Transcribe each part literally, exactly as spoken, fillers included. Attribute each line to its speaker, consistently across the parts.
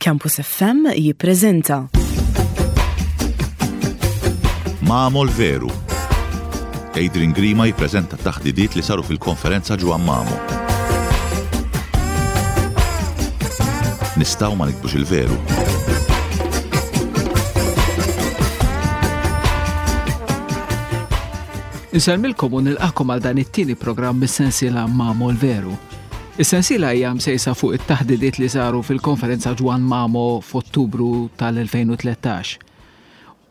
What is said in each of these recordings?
Speaker 1: Campus F M jippreżenta
Speaker 2: Mamo l-Veru. Adrian Grima jippreżenta taħdidiet li saru fil-konferenza Ġwann Mamo. Nistgħu ma niktbux il-veru?
Speaker 3: Insellmilkom u nilqakom għal dan it-tieni programm mis-sensiela Mamo l-Veru. Is-sensiela hija msejsa fuq it-taħdidiet li saru fil-konferenza Ġwann Mamo f'Ottubru tal-elfejn u tlettax.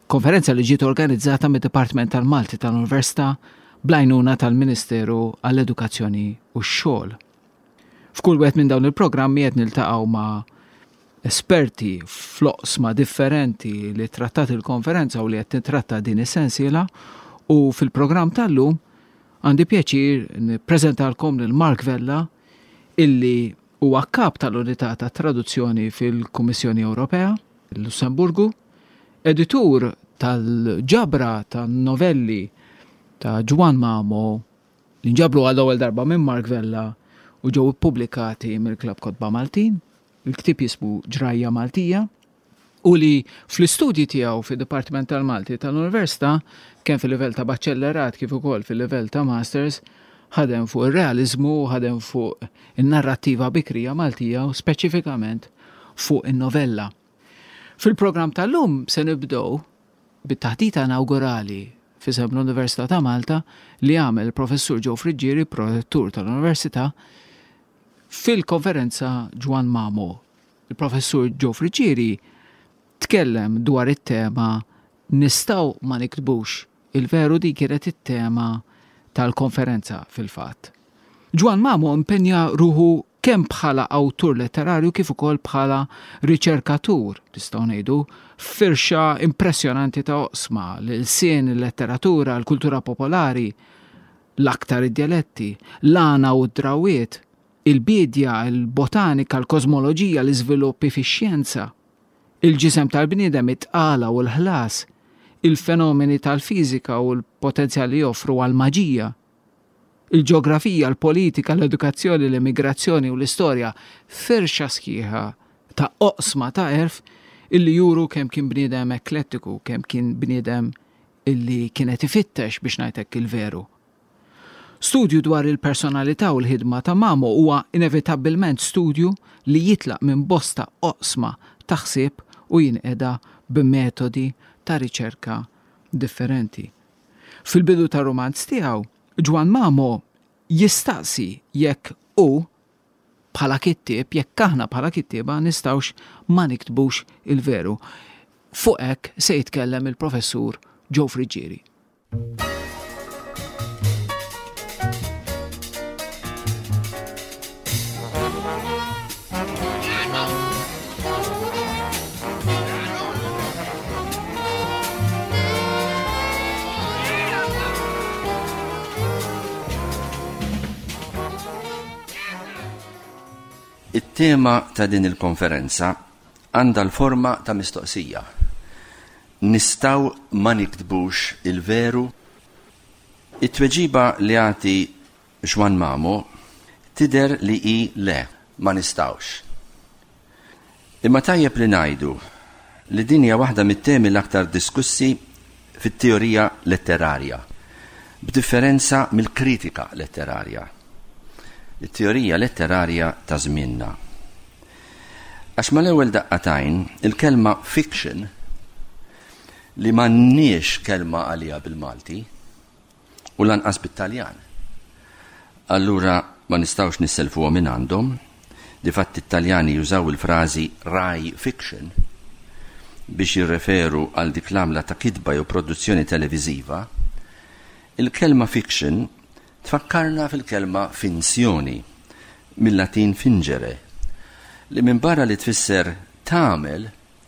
Speaker 3: Konferenza li ġiet organizzata mid-Dipartiment tal-Malti tal-Università bl-għajnuna tal-Ministeru għall-Edukazzjoni u x-Xogħol. F'kull wieħed minn dawn il-programmi qed niltaqgħu ma' esperti f'oqsma differenti li trattat il-konferenza u li qed titratta din is-sensiela, u fil-programm tal-lum għandi pjaċir nippreżentalkom lil Mark Vella, illi huwa kap tal-Unità ta' Traduzzjoni fil-Kummissjoni Ewropea, il-Lussemburgu, editur tal-ġabra ta' novelli ta' Ġwann Mamo li nġabru għall-ewwel darba minn Mark Vella u ġew ippubblikati mill-Klabb Kotba Maltin. Il-ktieb jismu Ġrajja Maltija, u li fl-istudji tiegħu fid-Dipartiment tal-Malti tal-Università, kemm fil-livell ta' baċellerat kif ukoll fil-livell ta' masters, ħadem fuq ir-realiżmu, ħadem fuq in-narrattiva bikrija Maltija u speċifikament fuq in-novella. Fil-programm tal-lum se nibdew bit-taħdita inaugurali f'isem l-Università ta' Malta li għamel il-Professur Joe Friggieri, prorettur tal-Università, fil-konferenza Ġwann Mamo. Il-Professur Joe Friggieri tkellem dwar it-tema Nistgħu ma niktbux il-veru. Di kienet it-tema tal-konferenza fil-fatt. Ġwann Mamo impenja ruħu kemm bħala awtur letterarju kif ukoll bħala riċerkatur, nistgħu ngħidu, firxa impressjonanti ta' oqsma, l-ilsien, il-letteratura, l-kultura popolari, l-aktar id-dialetti, l-għana u d-drawiet, il-bidja, il-botanika, l-kosmoloġija, l-iżviluppi fix-xjenza, il-ġisem tal-bniedem, it-tqala u l-ħlas, il-fenomeni tal-fiżika u l-potenzjal li joffru għal-maġija, il-ġeografija, l-politika, l-edukazzjoni, l-immigrazzjoni u l-istorja, firxa sħiħa ta' oqsma ta' għerf illi juru kemm kien bniedem eklettiku, kemm kien bniedem illi kienet ifittex, biex ngħidlek, il-veru. Studju dwar il-personalità u l-ħidma ta' Mamo huwa inevitabbilment studju li jitlaq minn bosta oqsma ta' ħsieb u jinqeda b'metodi ta' riċerka differenti. Fil-bidu ta' romanz tiegħu, Ġwann Mamo jistaqsi jekk hu bħala kittieb, jekk aħna bħala kittieba nistgħux ma niktbux il-veru. Fuq hekk se jitkellem il-Professur Joe Friggieri.
Speaker 4: It-tema ta' din il-konferenza għandha l-forma ta' mistoqsija. Nistgħu ma niktbux il-veru? It-tweġiba li jagħti Ġwann Mamo tidher li hi le, ma nistgħux. Imma tajjeb li ngħidu li din hija waħda mit-temi l-aktar diskussi fit-teorija letterarja, b'differenza mill-kritika letterarja. It-teorija letterarja ta' żmienna. Għax mal-ewwel daqqa t'għajn, il-kelma fiction, li m'għandniex kelma għaliha bil-Malti u lanqas bit-Taljan. Allura ma nistgħux nisselfuha minn għandhom, difatti it-Taljani jużaw il-frażi Rai fiction biex jirreferu għal dik l-għamla ta' kitba jew produzzjoni televiżiva. Il-kelma fiction tfakkarna fil-kelma finzjoni, mill-Latin fingere, li minn barra li tfisser tagħmel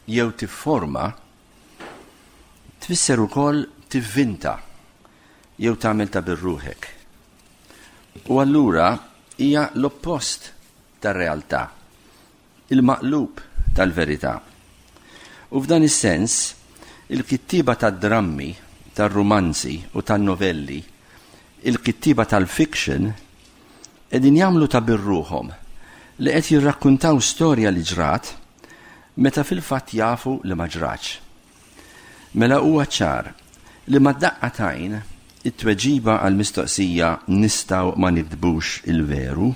Speaker 4: jew tifforma, tfisser ukoll tivvinta jew tagħmel ta' birruħek. U allura hija l-oppost tar-realtà, il-maqlub tal-verità. U f'dan is-sens, il-kittiba tad-drammi, tar-rumanzi u tan-novelli, il-kittiba tal-fiction, qegħdin jagħmlu ta' birruħhom li qed jirrakkuntaw storja li ġrat. meta fil-fatt jafu li ma ġratx. Mela huwa ċar li mad-daqqa t'għajn it-tweġiba għall-mistoqsija nistgħu ma nikdbux il-veru,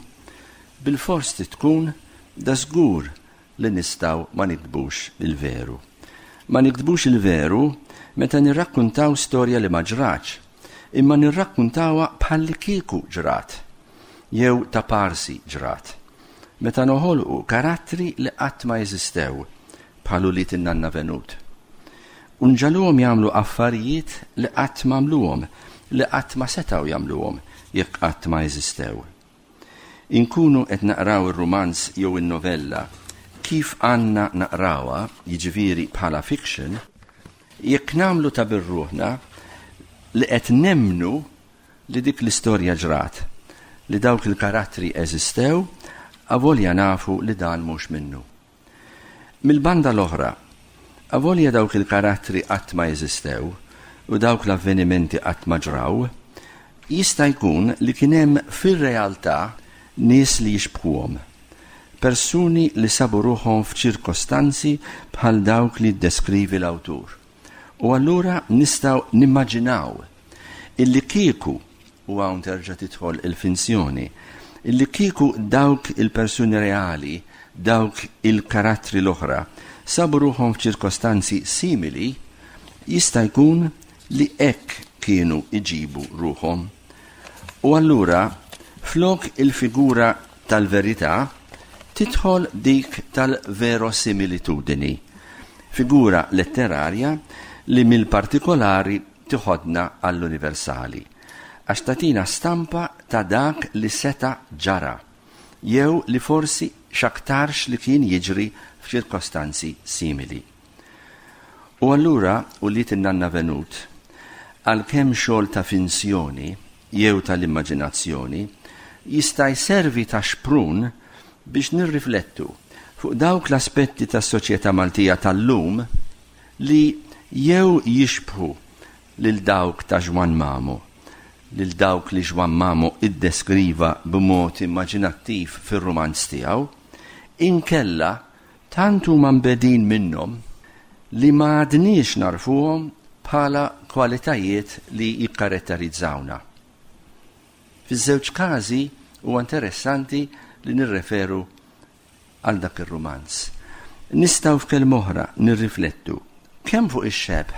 Speaker 4: bilfors tkun da żgur li nistgħu ma nikdbux il-veru. Ma nikdbux il-veru meta nirrakkuntaw storja li ma ġratx, imma nirrakkuntawha bħallikieku ġrat, jew ta' parsi ġrat. Meta noħolqu karattri li qatt ma jeżistew, bħal ulied in-nanna Venut. U nġagħluhom jagħmlu affarijiet li qatt ma għamluhom, li qatt ma setgħu jagħmluhom jekk qatt ma jeżistew. Inkunu qed naqraw ir-rumanz jew in-novella kif għandna naqrawha, jiġifieri bħala fiction, jekk nagħmlu ta' birruħna li qed nemmnu li dik l-istorja ġrat, li dawk il-karattri eżistew, avolja nafu li dan mhux minnu. Mill-banda l-oħra, avolja dawk il-karattri qatt ma jeżistew u dawk l-avvenimenti qatt ma ġraw, jista' jkun li kien hemm fir-realtà nies li jixbħuhom, persuni li sabu ruħhom f'ċirkostanzi bħal dawk li ddeskrivi l-awtur. U allura nistgħu nimmaġinaw illi kieku, u hawn terġa' tidħol il-finzjoni, illi kieku dawk il-persuni reali, dawk il-karattri l-oħra, sabu ruħhom f'ċirkostanzi simili, jista' jkun li hekk kienu iġibu ruħhom. U allura, flok il-figura tal-verità, tidħol dik tal-verosimilitudini, figura letterarja li mill-partikolari tiħodna għall-universali, għax tagħtina stampa ta' dak li seta' ġara, jew li forsi x'aktarx li kien jiġri f'ċirkostanzi simili. U allura, ulied in-nanna Venut, għalkemm xogħol ta' finzjoni jew tal-immaġinazzjoni, jista' jservi ta' xprun biex nirriflettu fuq dawk l-aspetti tas-soċjetà Maltija tal-lum li jew jixbħu lil dawk ta' Juann Mamo, lil dawk li Juann Mamo iddeskriva b'mod immaġinattiv fir-rumanz tiegħu, inkella tant huma mbegħdin minnhom li ma għadniex narfuhom bħala kwalitajiet li jikkaratterizzawna. Fiż-żewġ każi huwa interessanti li nirreferu għal dak ir-rumanz. Nistgħu f'kelma oħra nirriflettu kemm fuq ix-xebh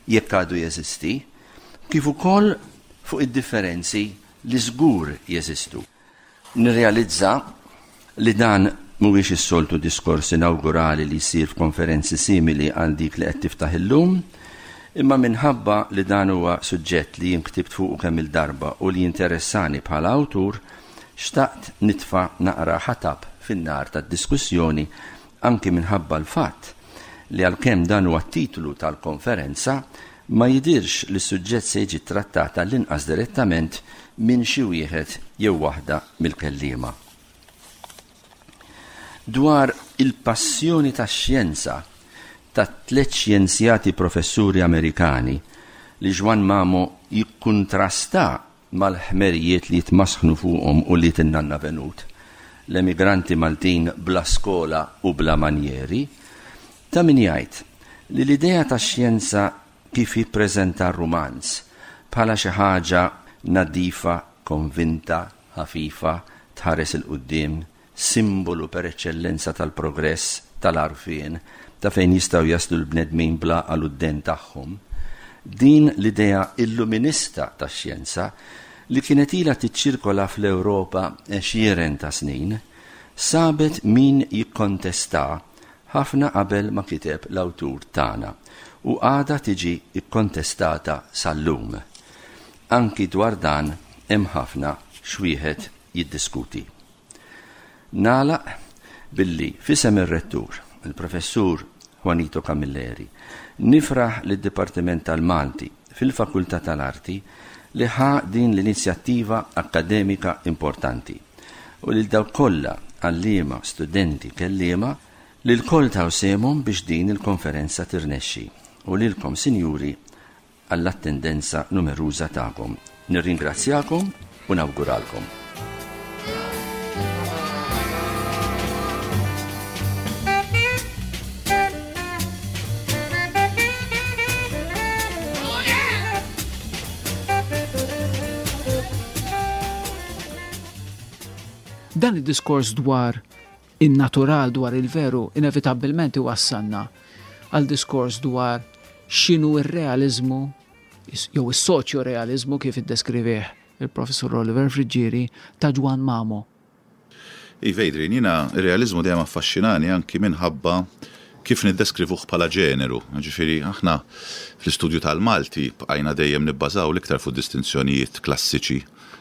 Speaker 4: jekk għadu jeżisti, kif ukoll fuq id-differenzi li żgur jeżistu. Nirrealizza li dan mhuwiex is-soltu diskors inawgurali li jsir f'konferenzi simili għal dik li qed tiftaħ illum, imma minħabba li dan huwa suġġett li jien ktibt fuqu kemm il-darba u li jinteressani bħala awtur, xtaqt nitfa' naqra ħatab fin-nar tad-diskussjoni anki minħabba l-fatt li għalkemm dan huwa t-titlu tal-konferenza, ma jidirx li s-suġġett se jiġi trattat għall-inqas direttament minn xi wieħed jew waħda mill-kelliema. Dwar il-passjoni tax-xjenza ta' tliet xjenzjati professuri Amerikani li Juann Mamo jikkuntrasta mal-ħmerijiet li jitmasħnu fuqhom u li in-nanna Venut, l-emigranti Maltin bla skola u bla manjeri, ta' min jgħid li l-idea tax-xjenza kif jippreżenta r-rumanz bħala xi ħaġa nadifa, konvinta, ħafifa, tħares il-quddiem, simbolu per eċċellenza tal-progress, tal-għarfien, ta' fejn jistgħu jaslu l-bnedmin bla għal-udden tagħhom. Din l-idea illuminista tax-xjenza li kienet ilha tiċċirkola fl-Ewropa għexieren ta' snin, sabet min jikkontesta ħafna qabel ma kiteb l-awtur tagħna u għadha tiġi kkontestata sal-lum. Anki dwar dan hemm ħafna x'wieħed jiddiskuti. Nagħlaq billi f'isem ir-rettur, il-professur Juanito Camilleri, nifraħ lid-Dipartiment tal-Malti fil-Fakultà tal-Arti li ħa din l-inizjattiva akkademika importanti u lil dawk kollha għalliema, studenti, kelliema li lkoll taw sehemhom biex din il-konferenza tirnexxi u lilkom, sinjuri, għall-attendenza numeruża tagħkom. Nirringrazzjakom u nawguralkom.
Speaker 3: Dan id-diskors dwar in-natural, dwar il-veru, inevitabbilment iwassalna għal diskors dwar x'inhu ir-realiżmu jew is-soċjo-realiżmu kif iddeskrivih il-Professur Oliver Friggieri ta' Ġwann Mamo.
Speaker 2: Iva, Adrian, jiena ir-realiżmu dejjem affaxxinani anki minħabba kif niddeskrivuh bħala ġeneru. Ġifieri aħna fl-istudju tal-Malti bqajna dejjem nibbażaw l-iktar fuq distinzjonijiet klassiċi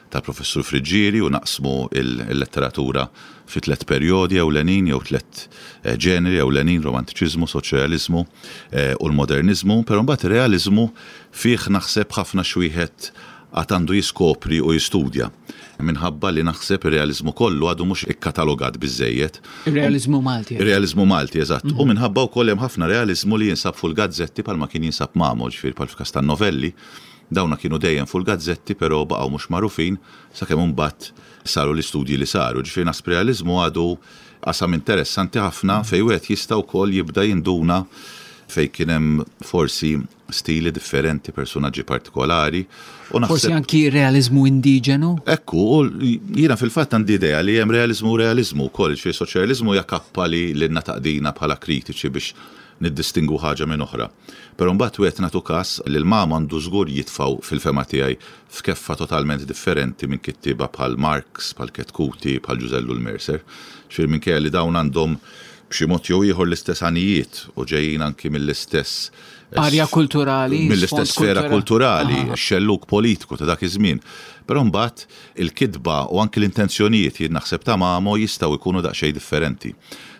Speaker 2: tal-Professur Friggieri u naqsmu il-letteratura fi tliet perjodi ewlenin jew tliet eh, ġeneri ewlenin, romantiċiżmu, soċjaliżmu eh, u l-moderniżmu, però mbagħad ir-realiżmu fih naħseb ħafna x'wieħed għad għandu jiskopri u jistudja. Minħabba li naħseb ir-realiżmu kollu għadu mhux ikkatalogat biżejjed.
Speaker 3: Ir-realiżmu Malti.
Speaker 2: Ir-realiżmu Malti, eżatt. U minħabba wkoll hemm ħafna realiżmu li jinsab fuq il-gazzetti bħalma kien jinsab Mamo, ġifieri bħal f'każ tan-novelli. Dawna kienu dejjem fuq il-gazzetti però baqgħu mhux magħrufin sakemm imbagħad saru l-istudji li saru. Ġifieri naħseb realiżmu għadu qasam interessanti ħafna fejn wieħed jista' wkoll jibda jinduna fejn kien hemm forsi stili differenti, personaġġi partikolari. U
Speaker 3: Forsi anki realiżmu indiġenu?
Speaker 2: Ekku, u jiena fil-fatt għandi idea li hemm realiżmu u realiżmu wkoll, ġifieri soċjaliżmu hija kappa li lilna taqdina bħala kritiċi biex niddistingwu ħaġa minn oħra. Però mbagħad wieħed nagħtu każ li l-Mamo għandu żgur jitfgħu fil-fehma tiegħi f'keffa totalment differenti minn kittieba bħal Marx, bħal Chetcuti, bħal Ġużè Ellul Mercer. Ġifieri minkejja li dawn għandhom b'xi mod jew ieħor l-istess għanijiet u ġejjin anki mill-istess
Speaker 3: Arja kulturali,
Speaker 2: mill-istess
Speaker 3: sfond
Speaker 2: sfera
Speaker 3: kulturali.
Speaker 2: kulturali, xelluk politiku ta' dak iż-żmien. Però mbagħad il-kitba u anki l-intenzjonijiet jien naħseb ta' Mamo jistgħu jkunu daqsxejn differenti.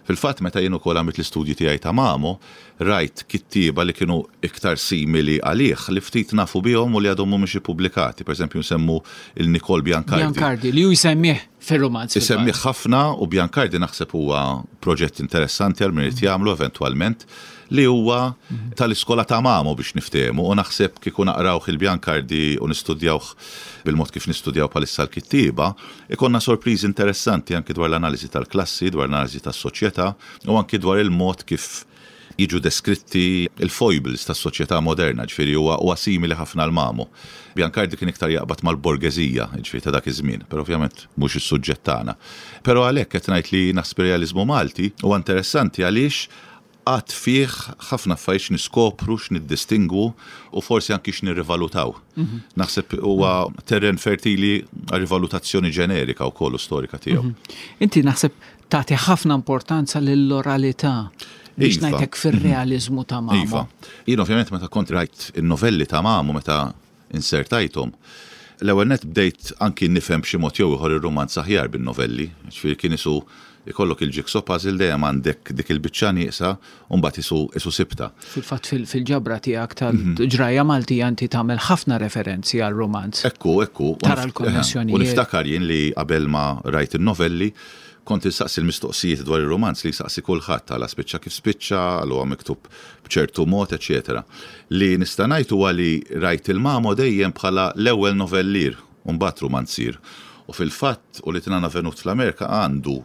Speaker 2: Fil-fatt meta jien ukoll għamilt l-istudji tiegħi ta' Mamo, rajt kittieba li kienu iktar simili għalih li ftit nafu bihom u li għadhom mhumiex ippubblikati. Per eżempju nsemmu il-Nikol Biancardi.
Speaker 3: Biancardi, li ju jsemmih fir-romanz.
Speaker 2: Isemmih ħafna u Biancardi naħseb huwa proġett interessanti għal min irid jagħmlu eventwalment li huwa tal-iskola ta' Mamo biex niftehmu u naħseb kieku naqrawh il-Biancardi u nistudjawh bil-mod kif nistudjaw bħalissa l-kittieba, ikonna sorpriżi interessanti anki dwar l-analiżi tal-klassi, dwar l-analiżi tas-soċjetà u anki dwar il-mod kif jiġu deskritti il-foibles tas-soċjetà moderna, ġifieri huwa huwa simili ħafna l Mamo. Biancardi kien iktar jaqbad mal-borgeżija, ġifieri ta' dak iż-żmien, però ovvjament mhux is-suġġett tagħna. Però għalhekk qed ngħid li naħseb realiżmu Malti huwa interessanti għaliex għad fih ħafna affarijiet x'niskopru, x'niddistingwu u forsi anki x'nirrivalutaw. Naħseb huwa terren fertili għal rivalutazzjoni ġenerika wkoll u storika tiegħu.
Speaker 3: Inti naħseb tagħti ħafna importanza lill-oralità biex
Speaker 2: Iva.
Speaker 3: ngħidlek fir-realiżmu ta' Mamo.
Speaker 2: Iva. Jien ovvjament meta kont rajt in-novelli ta' Mamo meta insertajthom, l-ewwel net bdejt anki nifhem b'xi mod jew ieħor ir-rumanz aħjar bin-novelli, ġifieri kien isu ikollok il-jigsaw puzzle dejjem għandek dik il-biċċa nieqsa u mbagħad isu isu sibta.
Speaker 3: Fil-fatt fil- fil-ġabra tiegħek tal-ġrajja Maltija inti tagħmel ħafna referenzi għal romanz.
Speaker 2: Ekku, ekku. U
Speaker 3: Tara
Speaker 2: nif-
Speaker 3: l-konnessjonijiet.
Speaker 2: U niftakar jien li qabel ma rajt il-novelli, kont insaqsi l-mistoqsijiet dwar il-romanz li jsaqsi kulħadd għala spiċċa kif spiċċa, għal huwa miktub b'ċertu mod, eċetera. Li nista' ngħid huwa li rajt il-Mamo dejjem bħala l-ewwel novellier u mbagħad romanzier. U fil-fatt u li tinana venut fl-Amerika għandu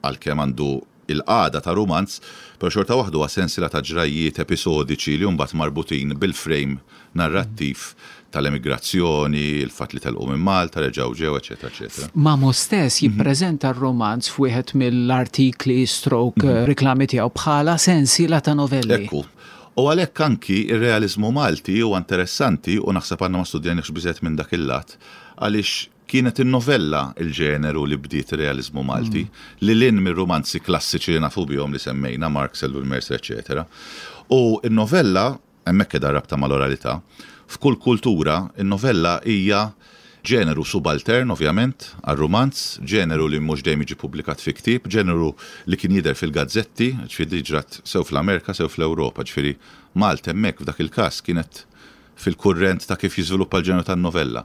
Speaker 2: għalkemm għandu il-qada ta' romanz, pero xorta waħdu huwa sensiela ta' ġrajjiet episodiċi li mbagħad marbutin bil-frame narrattiv tal-emigrazzjoni, il-fatt li telqu minn Malta, reġgħu ġew, eċetera, eċetera.
Speaker 3: Mamo stess jippreżenta r-romanz f'wieħed mill-artikli stroke eh, riklami tiegħu bħala sensiela ta' novelli.
Speaker 2: Ekku. U għalhekk anki ir-realizmu Malti huwa interessanti u naħseb għandna ma studjanix biżgħet minn dak il-lat għaliex kienet in-novella il-ġeneru li bdiet ir-realizmu Malti, li lin mir-romanzi klassiċi li nafu bihom li semmejna, Marx, Ellul Mercer, eċetera. U in-novella, hemmhekk qiegħda rabta mal-oralità, f'kull kultura in-novella hija ġeneru subaltern, ovvjament, għal-romanz, ġeneru li mhux dejjem jiġi pubblikat fi ktieb, ġeneru li kien jidher fil-gazzetti, ġifieri ġrat sew fl-Amerika, sew fl-Ewropa, ġifieri Malta hemmhekk f'dak il-każ kienet fil-kurrent ta' kif jiżviluppa l-ġeneru tan-novella.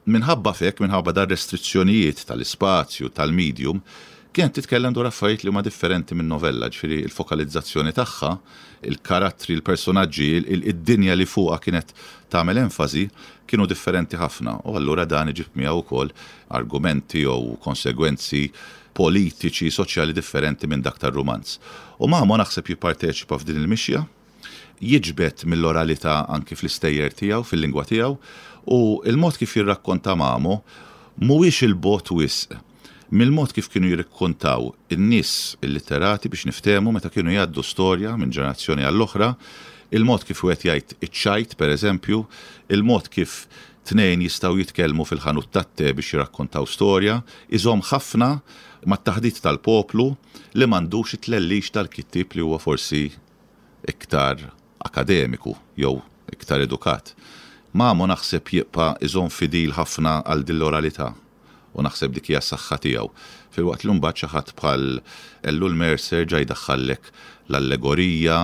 Speaker 2: Minħabba fek, minħabba dar restrizzjonijiet tal-ispazju, tal-medium, kienet titkellem dwar affarijiet li huma differenti minn novella, ġifieri il-fokalizzazzjoni tagħha, il-karattri, il-personaġġi, id-dinja li fuqha kienet tagħmel enfasi kienu differenti ħafna. U allura dan iġib miegħu wkoll argumenti jew konsegwenzi politiċi, soċjali differenti minn dak tar-rumanz. U Mamo naħseb jipparteċipa f'din il-mixja, jiġbed mill-oralità anki fl-istejjer tiegħu, fil-lingwa tiegħu, u il-mod kif jirrakkonta Mamo mhuwiex il-bogħod wisq Mill-mod kif kienu jirrakkontaw in-nies illitterati biex niftehmu meta kienu jgħaddu storja minn ġenerazzjoni għall-oħra, il-mod kif wieħed jgħid iċ-ċajt pereżempju, il-mod kif tnejn jistgħu jitkellmu fil-ħanut tat-te biex jirrakkontaw storja, iżomm ħafna mat-taħdit tal-poplu li m'għandux it-tlellix tal-kittieb li huwa forsi iktar akademiku jew iktar edukat. Mamo naħseb jibqa' iżomm fidil ħafna għal din l-oralità u naħseb dik hija s-saħħa tiegħu. Filwaqt li mbagħad xi ħadd bħal Ellul Mercer ġa jdaħħallek l-allegorija,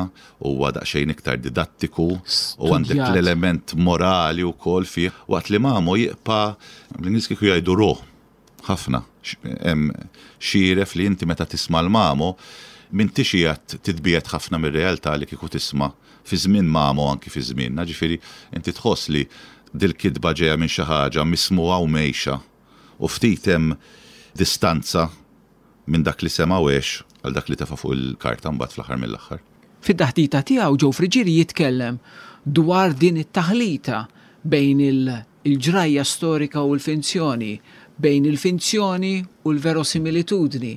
Speaker 2: huwa daqsxejn iktar didattiku u għandek l-element morali wkoll fih, waqt li Mamo jibqa' bl-Ingliż kieku jgħidu raw ħafna. Hemm xieref li inti meta tisma' l-Mamo m'intix qiegħed titbiegħed ħafna mir-realtà li kieku tisma' fi żmien Mamo anki fi żmienna, ġifieri inti tħoss li dil-kitba ġejja minn xi ħaġa mismugħa u mgħejxa u ftit hemm distanza minn dak li sema' u għex għal dak li tefa' fuq il-karta mbagħad fl-aħħar mill-aħħar.
Speaker 3: Fid-taħdita tiegħu Joe Friggieri jitkellem dwar din it-taħlita bejn il-ġrajja storika u l-finzjoni, bejn il-finzjoni u l-verosimilitudni.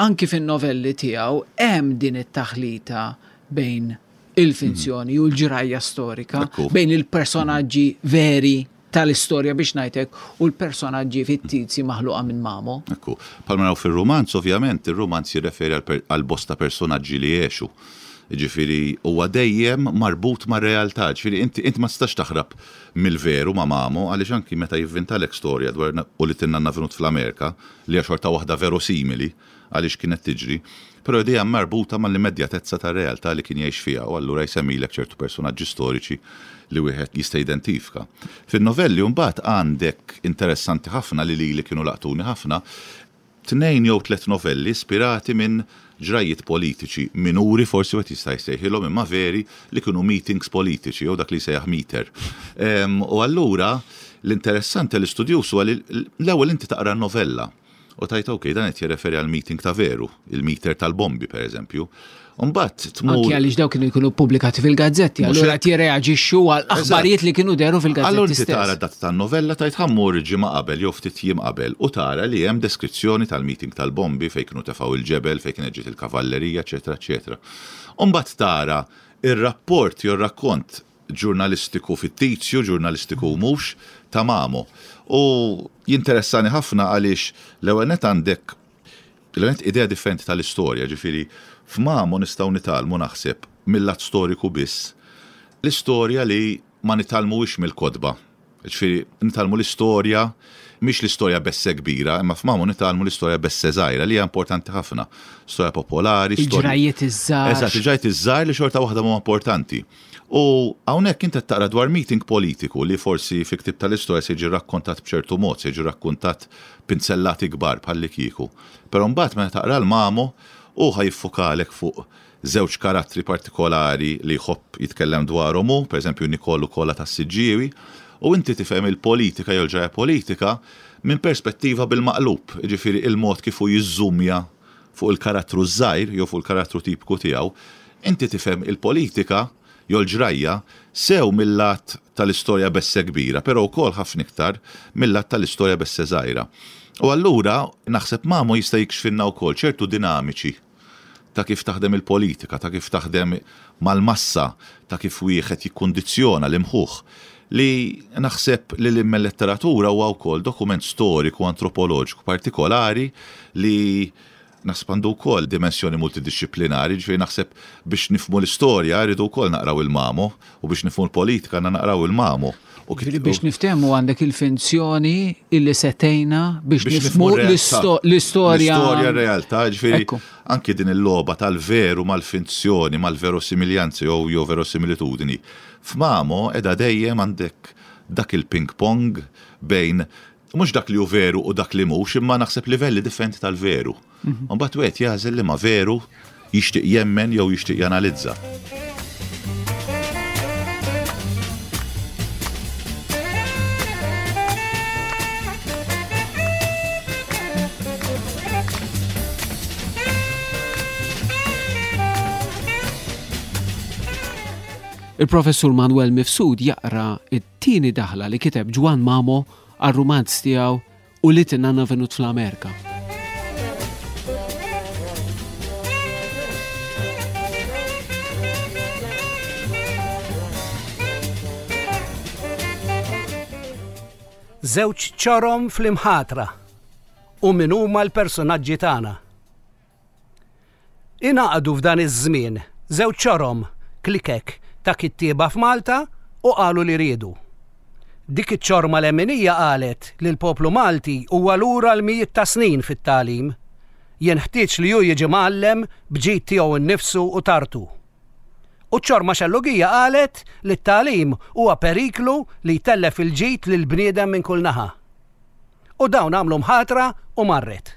Speaker 3: Anki fin-novelli tiegħu hemm din it-taħlita bejn il-finzjoni u l-ġrajja storika, bejn il-personaġġi veri tal-istorja biex ngħidlek u l-personaġġi fittizji maħluqa minn Mamo.
Speaker 2: Ekku, bħalma naraw fir-rumanz, ovvjament, ir-rumanz jirreferi għal bosta personaġġi li għexu. Ġifieri huwa dejjem marbut mar-realtà, ġifieri inti inti ma tistax taħrab mill-veru ma' Mamo għaliex anki meta jivvintalek storja dwar u li tinnanna venut fl-Amerika li hija xorta waħda verosimili għaliex kienet tiġri, però dejjem marbuta mal-immedjatezza tar-realtà li kien jgħix fiha u allura jsemmilek ċertu personaġġi storiċi li wieħed jista' jidentifika. Fin-novelli mbagħad għandek interessanti ħafna li lili kienu laqtuni ħafna, tnejn jew tliet novelli ispirati minn ġrajiet politiċi minuri forsi wieħed jista' jsejħilhom imma veri li kienu meetings politiċi jew dak li jsejjaħ meter. U allura l-interessanti l-istudjuż huwa li l-ewwel inti taqra novella u tajt ok, dan qed jirreferi għal meeting ta' veru, il-meter tal-bombi pereżempju. Mbagħad tmur
Speaker 3: Anki għaliex dawk kienu jkunu ppubblikati fil-gazzetti, allura qed jirreaġixxu għal aħbarijiet li kienu dehru fil-gazzetti.
Speaker 2: Allura inti tara dat tan-novella tajt ħammur ġimgħa qabel jew ftit jiem qabel u tara li hemm deskrizzjoni tal-meeting tal-bombi fejn kienu tefgħu il-ġebel, fejn kienet ġiet il-kavallerija, eċetera, eċetera. Mbagħad tara ir-rapport jew rakkont ġurnalistiku fittizju, ġurnalistiku mhux ta' Mamo. U jinteressani ħafna għaliex l-ewwel nett għandek l-ewwel nett idea differenti tal-istorja, ġifieri f'Mamo nistgħu nitgħallmu naħseb mill-lat storiku biss l-istorja li ma nitgħallmuhiex mill-kotba. Ġifieri nitgħallmu l-istorja mhix l-istorja besse kbira, imma f'Mamo nitgħallmu l-istorja besse żgħira li hija importanti ħafna. Storja popolari,
Speaker 3: il-ġrajiet iż-żgħar.
Speaker 2: Eżatt, il-ġrajiet iż-żgħar li xorta waħda huma importanti. U hawnhekk inti taqra dwar meeting politiku li forsi fi ktieb tal-istorja se jiġi rakkontat b'ċertu mod, se jiġi rakkontat pinzellati kbar bħalli kieku. Però mbagħad meta taqra l-Mamo u ħajfukalek fuq żewġ karattri partikolari li jħobb jitkellem dwarhom hu, pereżempju Nikolu Kola tas-Siġġiewi, u inti tifhem il-politika jew l-ġrajja politika minn perspettiva bil-maqlub, jiġifieri il-mod kif hu jiżżumja fuq il-karattru żgħir jew fuq il-karattru tipiku tiegħu, inti tifhem il-politika jew l-ġrajja sew mill-lat tal-istorja besse kbira, però wkoll ħafna iktar mill-lat tal-istorja besse żgħira. U allura naħseb Mamo jista' jikxfinna wkoll ċertu dinamiċi ta' kif taħdem il-politika, ta' kif taħdem mal-massa, ta' kif wieħed jikkundizzjona l-imħuħ, li naħseb li l-letteratura huwa wkoll dokument storiku antropoloġiku partikolari li naħseb għandu wkoll dimensjoni multidixxiplinari, ġifieri naħseb biex nifhmu l-istorja rridu wkoll naqraw il-Mamo u biex nifhmu l-politika għandna naqraw il-Mamo. U
Speaker 3: biex niftehmu għandek il-finzjoni illi setejna biex nifhmu l-istorja.
Speaker 2: L-istorja realtà, ġifieri anki din il-logħba tal-veru mal-finzjoni, mal-verosimiljanzi jew jew verosimilitudini. F'Mamo qiegħda dejjem għandek dak il-ping-pong bejn mhux dak li hu veru u dak li mhux, imma naħseb livelli differenti tal-veru. Mbagħad wieħed jażel li ma veru jixtieq jemmen jew jixtieq janalizza.
Speaker 3: Il-professur Manuel Mifsud jaqra it-tieni daħla li kiteb Ġwann Mamo għar-rumanz tiegħu u li tinnanna venut fl-Amerika.
Speaker 5: Żewġ ċorom fl-imħatra u min huma l-personaġġi tagħna. Ingħaqdu f'dan iż-żmien żewġ ċorom klikek ta' kittieba f'Malta u qalu li riedu. Dik iċ-ċorma leminija qalet li l-poplu Malti huwa lura l-mijiet ta' snin fit-tagħlim. Jenħtieġ li hu jiġi mgħallem b'ġid tiegħu nnifsu u tartu. U ċ-ċorma xellugija qalet li t-tagħlim huwa periklu li jtellef il-ġid lil bniedem minn kull naħa. U dawn għamlu mħatra u marret.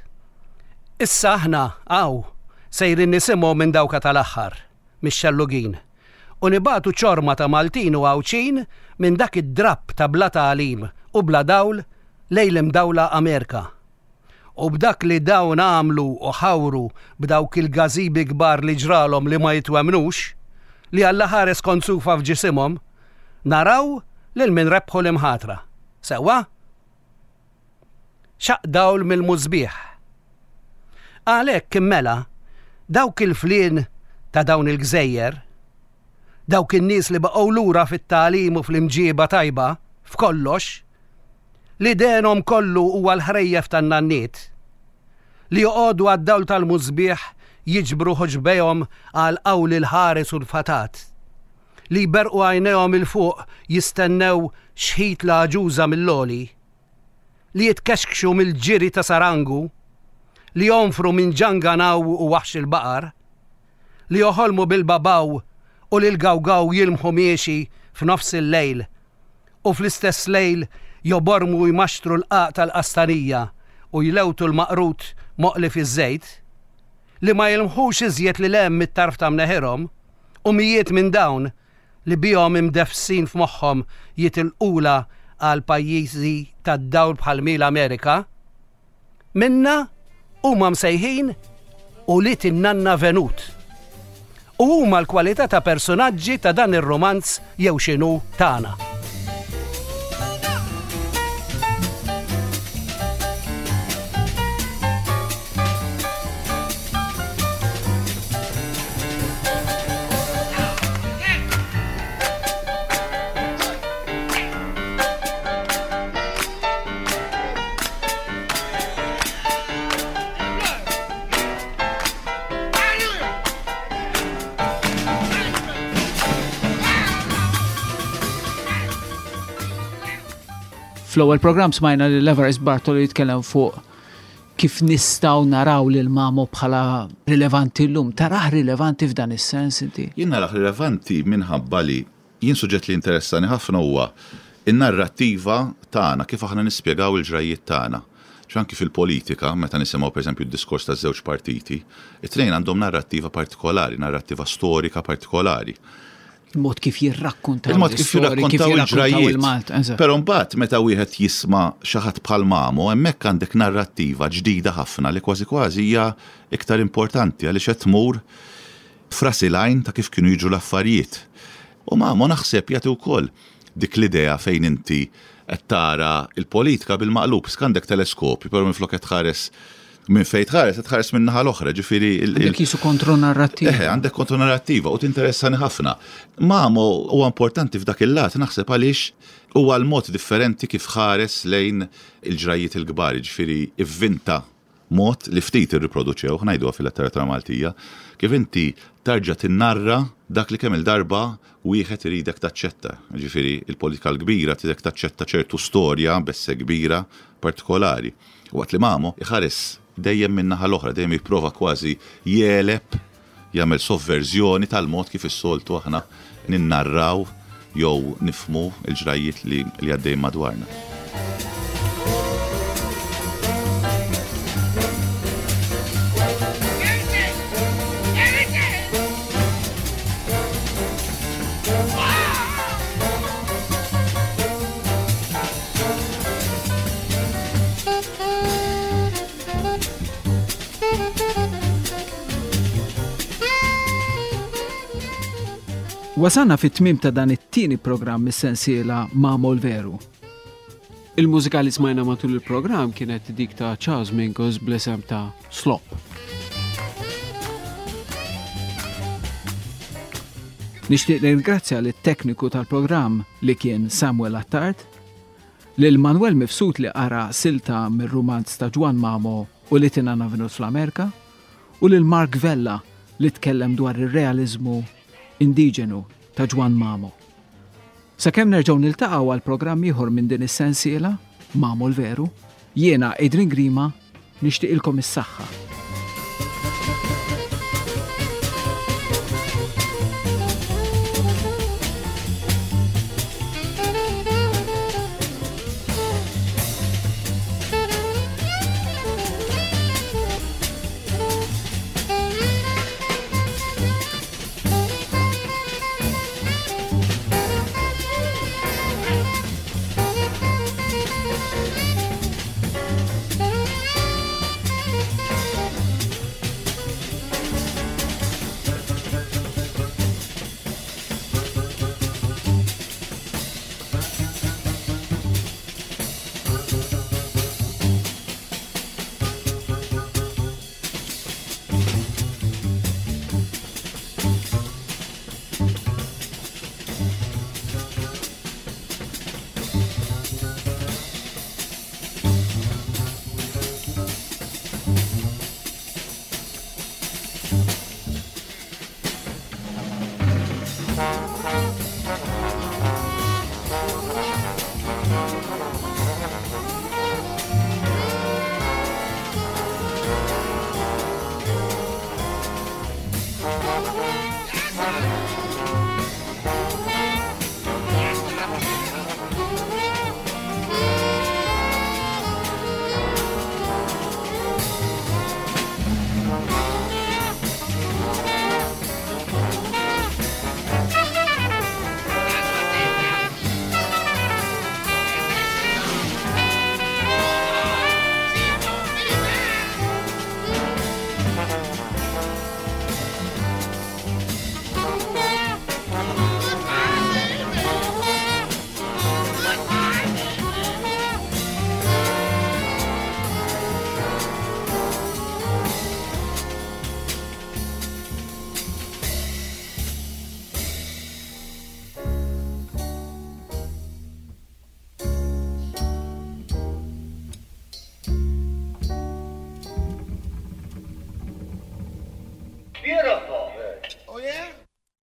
Speaker 5: Issa aħna hawn sejrin nisimgħu minn dawka tal-aħħar, mix-xellugin, u nibagħtu ċorma ta' Maltin u Għawdxin minn dak id-drapp ta' bla tagħlim u bla dawl lejn l-imdawla Amerika. U b'dak li dawn għamlu u ħawru b'dawk il-gażibi kbar li ġralhom li ma jitwemnux, li Alla ħares konsufa f'ġisimhom, naraw lil min rebħu l-imħatra. Sewwa? Xaq dawl mill-musbieħ. Għalhekk immela, dawk il-flien ta' dawn il-gżejjer, dawk in-nies li baqgħu lura fit-tagħlim u fl-imġiba tajba, f'kollox, li denhom kollu huwa l-ħrejjef tan-nanniet, li joqogħdu għad-dawl tal-musbieħ jiġbru ħoġbejhom għal qawl il-ħares u l-fatat, li jberqu għajnejhom il fuq jistennew xħit l-għaġuża mill-oli, li jitkexkxu mill-ġiri ta' sarangu, li jonfru minn ġanganaw u waħx il-baqar, li joħolmu bil-babaw u li l-gawgaw jilmħu miexi f'nofs il-lejl, u fl-istess lejl jobormu jmaxtru l-qaq tal-qastanija u jlewtu l-maqrut moqli fiż-żejt, li ma jilmħux iżjed li lem mit-tarf ta' mneħirhom, u mijiet minn dawn li bihom imdefsin f'moħħhom jitilqula għal pajjiżi tad-dawl bħal mil Amerika, minna huma msejħin ulied in-nanna Venut. U huma l-kwalità ta' personaġġi ta' dan ir-romanz jew x'inhu tagħna.
Speaker 3: Fl-ewwel programm smajna li Evarist Bartolo jitkellem fuq kif nistgħu naraw lil Mamo bħala rilevanti llum. Tarah rilevanti f'dan is-sens inti?
Speaker 2: Jien narah rilevanti minħabba li jien suġġett li interessani ħafna huwa in-narrattiva tagħna, kif aħna nispjegaw il-ġrajjiet tagħna. Anki fil-politika, meta nisimgħu pereżempju d-diskors taż-żewġ partiti, it-tnejn għandhom narrattiva partikolari, narrattiva storika partikolari.
Speaker 3: Il-mod kif jirrakkontaw
Speaker 2: il-mod kif jirrakkontaw il-ġrajjiet. Però mbagħad meta wieħed jisma' xi ħadd bħal Mamo, hemmhekk għandek narrattiva ġdida ħafna li kważi kważi hija iktar importanti għaliex qed tmur frasi lajn ta' kif kienu jiġu l-affarijiet. U Mamo naħseb jagħti wkoll dik l-idea fejn inti qed tara l-politika bil-maqlub, għandek teleskopju, però minflok qed tħares minn fejn tħares, qed tħares minn naħa l-oħra, ġifieri
Speaker 3: għandek jisu kontronarrattiva.
Speaker 2: Eħe, għandek kontronarrattiva u tinteressani ħafna. Mamo huwa importanti f'dak il-lat naħseb għaliex huwa l-mod differenti kif ħares lejn il-ġrajjiet il-kbar, ġifieri ivvinta mod li ftit irriproduċew, ngħiduha fil-letteratura Maltija, kif inti tarġa' tinnarra dak li kemm il-darba wieħed iridek taċċetta. Ġifieri il-politika l-kbira tridek taċċetta ċertu storja besse kbira partikolari. Waqt li Mamo iħares dejjem minn naħa l-oħra, dejjem jipprova kważi jeleb, jagħmel sovverżjoni tal-mod kif is-soltu aħna ninnarraw jew nifhmu l-ġrajjiet li għaddejjin madwarna.
Speaker 3: Wasanna fit-tmiem ta' dan it-tieni programm mis-sensiela Mamo l-Veru. Il-mużika li smajna matul il-programm kienet dik ta' Charles Mingus bl-isem ta' Slop. Nixtieq nirringrazzja lit-tekniku tal-programm li kien Samuel Attard, Lil Manuel Mifsud li qara silta mir-rumanz ta' Ġwann Mamo u li tina Venut fl-Amerika, u lil Mark Vella li tkellem dwar ir-realiżmu indiġenu ta' Ġwann Mamo. Sakemm nerġgħu niltaqgħu għal programm ieħor minn din is-sensiela, Mamo l-Veru, jiena Adrian Grima nixtieqilkom is-saħħa.
Speaker 6: Thank